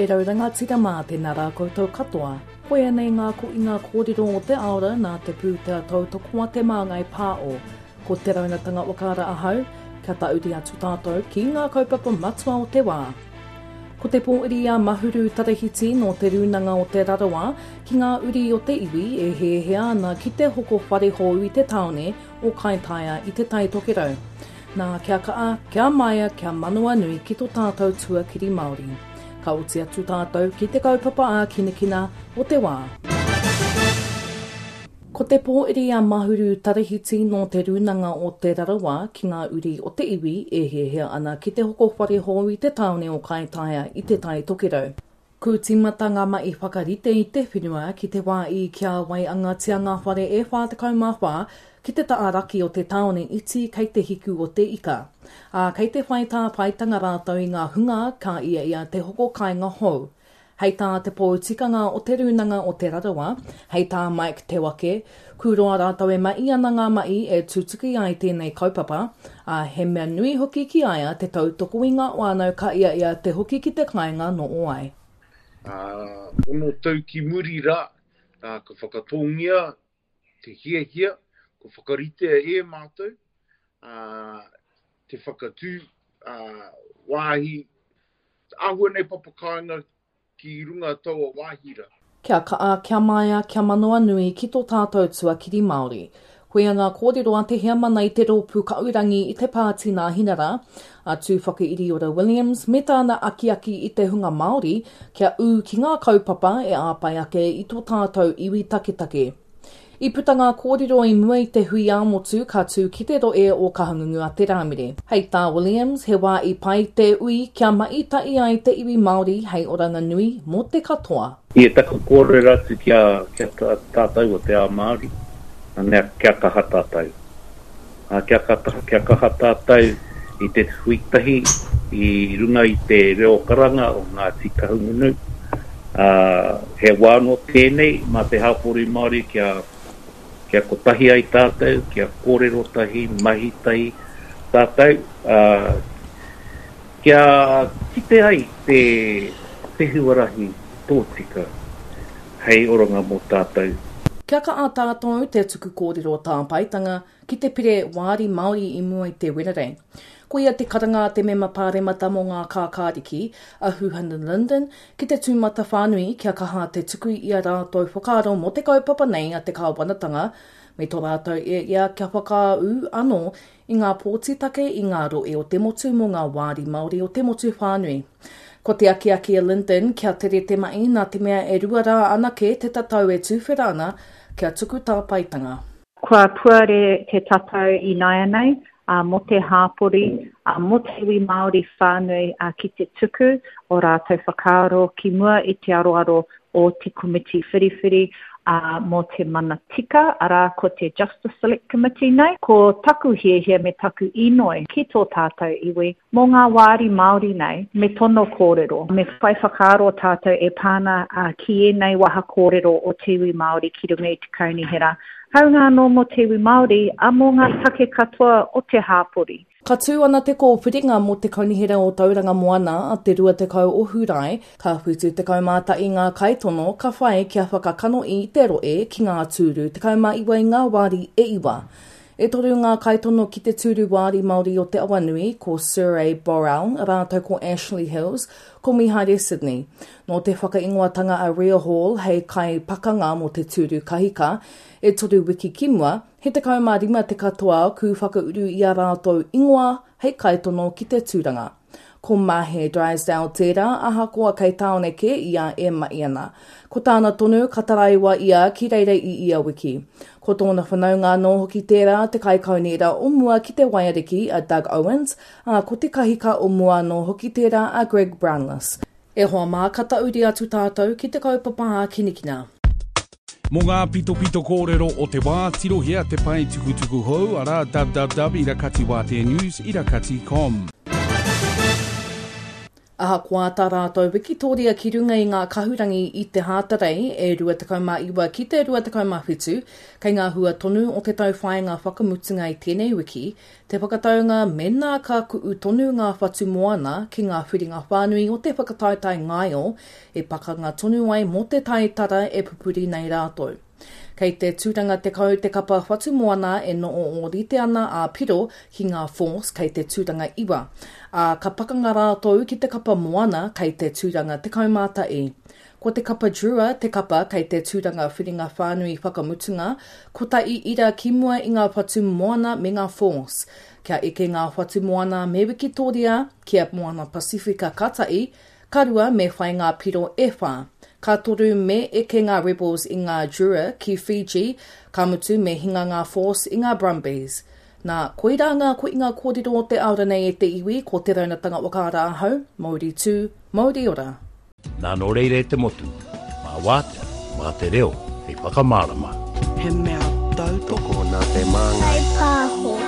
E rau rangatira mā, tēnā rā koutou katoa. Koia nei ngā koinga kōrero o te aora nā te pūtea tautoko a Te Māngai Pāo. Ko Te Raunatanga Whakaara ahau, kia tauri atu tātou ki ngā kaupapa matua o te wā. Ko te pōiri a Mahuru Tarahiti nō Te Rūnanga o Te Rarawa ki ngā uri o te iwi e hēhea ana ki te hoko whare hou i te tāone o Kaitaia i Te Tai Tokerau. Nā, kia kaha, kia maia, kia manawanui ki to tātou tuakiri Māori. Ka oti atu tātou ki te kaupapa ākinakina o te wā. Ko te pōiri a Mahuru Tarahiti nō Te Rūnanga o Te Rarawa ki ngā uri o te iwi e hiahia ana ki te hoko whare hou i te tāone o Kaitaia i Te Tai Tokerau. Ku tīmata ngā mahi whakarite i te whenua ki te wā i kia waiangatia ngā whare e 44 ki te taha raki o te tāone iti kei te hiku o te ika. Ā, kei te whai tāpaetanga rātou i ngā hunga ka ia ia te hoko kāinga hou. Hei tā te pou tikanga o Te Rūnanga o Te Rarawa, hei tā Mike Te Wake, ku roa rātou e mahi ana ngā mahi e tutuki ai tēnei kaupapa, ā, he mea nui hoki ki a ia te tautoko i ngā whānau ka ia ia te hoki ki te kāinga noho ai. Ā, ono tau ki muri rā, ā, ka whakatōngia te hiahia, kua whakaritea e mātou, ā, te whakatū, ā, wāhi Āhua nei papakāinga ki runga taua wāhi ra. Kia kaha, kia maia, kia manawanui ki tō tātou tuakiri Māori. Koia ngā kōrero a te heamana i te rōpū Kaurangi i te Pāti Nāhinara, a Tūwhakairiora Williams, me tāna akiaki i te hunga Māori kia ū ki ngā kaupapa e āpai ake i tō tātou iwi taketake. I puta ngā kōrero i mua i te hui ā-motu ka tū ki te rohe o Kahungunu a Te Rāmere. Hei tā Williams, he wā i pai te ui kia mahi tahi ai te iwi Māori hei oranga nui mō te katoa. I taku kōrero atu ki a tātou o te ao Māori, mea kia kaha tātou. Kia kaha tātou i te hui tahi i runga i te reo karanga o Ngāti Kahungunu. He wā anō tēnei mā te hapori Māori kia kia kotahi ai tātou, kia kōrero tahi, mahi tahi tātou, kia kite ai te te huarahi tōtika hei oranga mō tātou. Kia kaha tātou te tuku kōrero tāpaetanga ki te pire wāri Māori i mua i te Wenerei. Koia te karanga a te mema pāremata mō ngā kākāriki, a Huhana Lyndon, ki te tūmatawhānui kia kaha te tuku i a rātou whakaaro mō te kaupapa nei a te kāwanatanga me tō rātou e ia kia whakaū anō i ngā pōti take i ngā rohe o te motu mō ngā wāri Māori o te motu whānui. Ko te akiaki a Lyndon kia tere te mahi nā te mea e rua rā anake te tatau e tuwhera ana kia tuku tāpaetanga. Kua puare te tatau ināianei mō te hāpori, mō te iwi Māori whānui ki te tuku o rātou whakaaro ki mua i te aroaro o te komiti whiriwhiri mō te mana tika, arā ko te Justice Select Committee nei. Ko taku hiahia me taku inoi ki tō tātou iwi Mō ngā wāri Māori nei, me tono kōrero, me whai whakaaro tātou e pā ana ki ēnei waha kōrero o te iwi Māori ki runga i te kaunihera, hāunga anō mō te iwi Māori, ā, mō ngā take katoa o te hāpori. Ka tū ana te kōwhiringa mō te Kaunihera o Tauranga Moana a te 20 o Hūrae, ka 71 ngā kaitono ka whai kia whakakanohi i te rohe ki ngā tūru 19 i ngā wāri e iwa. E toru ngā kaitono ki te tūru wāri Māori o Te Awanui, ko Sir A Borrell rātou ko Ashley Hills, ko Mihaere Sydney. Nō te whakaingoatanga a Ria Hall hei kaipakanga mō te tūru kahika, e toru wiki ki mua, he 15 te katoa ku whakauru i a rātou ingoa hei kaitono ki te tūranga. Ko Mahe Drysdale tērā, ahakoa kei tāone kē ia e mahi ana. Ko tāna tonu, ka taraiwa ia ki reira i ia wiki. Ko tōna whanaunga anō hoki tērā, te kaikaunihera o mua ki te waiariki, a Doug Owens, ā, ko te kahika o mua anō hoki tērā, a Greg Brownless. E hoa mā, ka tauri atu tātou ki te kaupapa ākinikina. Mō ngā pitopito kōrero o te wā, tirohia te pae tukutuku hou, arā, www irakatiwāteanews irakati com. Ahakoa tā rātou wikitōria ki runga i ngā kahurangi i te Hātarei e 29 ki te 27, kei ngā hua tonu o te tauwhāinga whakamutunga i tēnei wiki, te whakataunga mēnā ka ku'u tonu ngā whatu moana ki ngā whiringa whānui o te whakataetae ngaio e pakanga tonu ai mō te taitara e pupuri nei rātou. Kei te tūranga 10 te kapa Whatumoana e noho ōrite ana a Piro ki ngā Force kei te tūranga iwa, ā, ka pakanga rātou ki te kapa Moana kei te tūranga 11. Ko te kapa Drua te kapa kei te tūranga whiringa whānui whakamutunga, kotahi ira ki mua i ngā Whatumoana me ngā Force. Kia eke ngā Whatumoana me Wikitoria ki a Moana Pasifika ka tahi, Ka rua me whai ngā piro e whā. Ka toru me eke ngā Rebels i ngā Drua ki Fiji, ka mutu me hinga ngā Force i ngā Brumbies. Nā, koirā ngā koinga kōrero o te ao ranei e te iwi, ko Te Raunatanga Whakaara ahau, Mauri tū, mauri ora. Nā nō reira e te motu, mā wātea, mā te reo hei whakamārama. He mea tautoko. Tokona te māngai. Whai pāho.